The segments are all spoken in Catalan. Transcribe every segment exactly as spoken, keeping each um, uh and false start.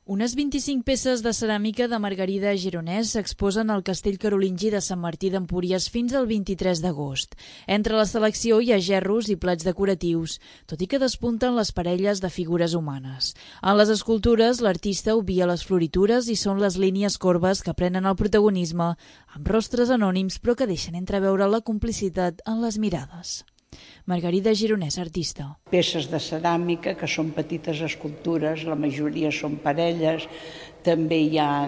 Unes vint-i-cinc peces de ceràmica de Margarida Gironès s'exposen al Castell Carolingi de Sant Martí d'Empúries fins al vint-i-tres d'agost. Entre la selecció hi ha gerros i plats decoratius, tot i que despunten les parelles de figures humanes. En les escultures, l'artista obvia les floritures i són les línies corbes que prenen el protagonisme, amb rostres anònims però que deixen entreveure la complicitat en les mirades. Margarida Gironès, artista. Peces de ceràmica que són petites escultures, la majoria són parelles, també hi ha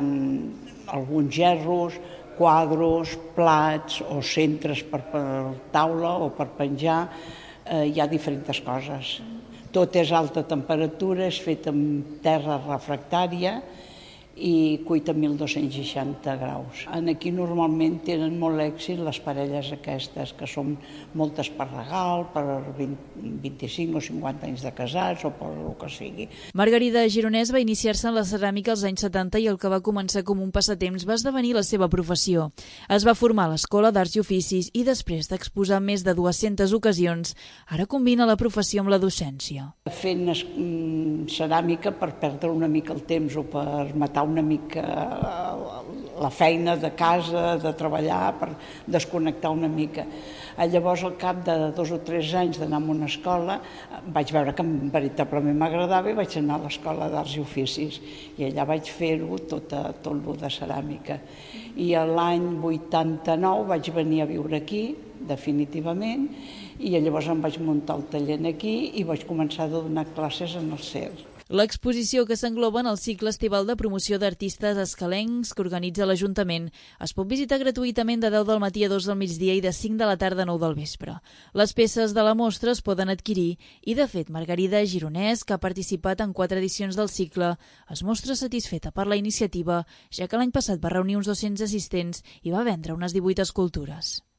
alguns gerros, quadros, plats o centres per, per taula o per penjar, eh, hi ha diferents coses. Tot és alta temperatura, és fet amb terra refractària i cuita a mil dos-cents seixanta graus. Aquí normalment tenen molt èxit les parelles aquestes, que són moltes per regal, per vint-i-cinc o cinquanta anys de casats o per el que sigui. Margarida Gironès va iniciar-se en la ceràmica als anys setanta i el que va començar com un passatemps va esdevenir la seva professió. Es va formar a l'Escola d'Arts i Oficis i després d'exposar més de dues-centes ocasions, ara combina la professió amb la docència. Fent ceràmica per perdre una mica el temps o per matar una mica la feina de casa, de treballar, per desconnectar una mica. Llavors, al cap de dos o tres anys d'anar a una escola, vaig veure que veritablement m'agradava i vaig anar a l'Escola d'Arts i Oficis. I allà vaig fer-ho tot, tot el de ceràmica. I l'any vuitanta-nou vaig venir a viure aquí, definitivament, i llavors em vaig muntar el taller aquí i vaig començar a donar classes en el C E R. L'exposició, que s'engloba en el cicle estival de promoció d'artistes escalencs que organitza l'Ajuntament, es pot visitar gratuïtament de deu del matí a dos del migdia i de cinc de la tarda a nou del vespre. Les peces de la mostra es poden adquirir i, de fet, Margarida Gironès, que ha participat en quatre edicions del cicle, es mostra satisfeta per la iniciativa, ja que l'any passat va reunir uns dos-cents assistents i va vendre unes divuit escultures.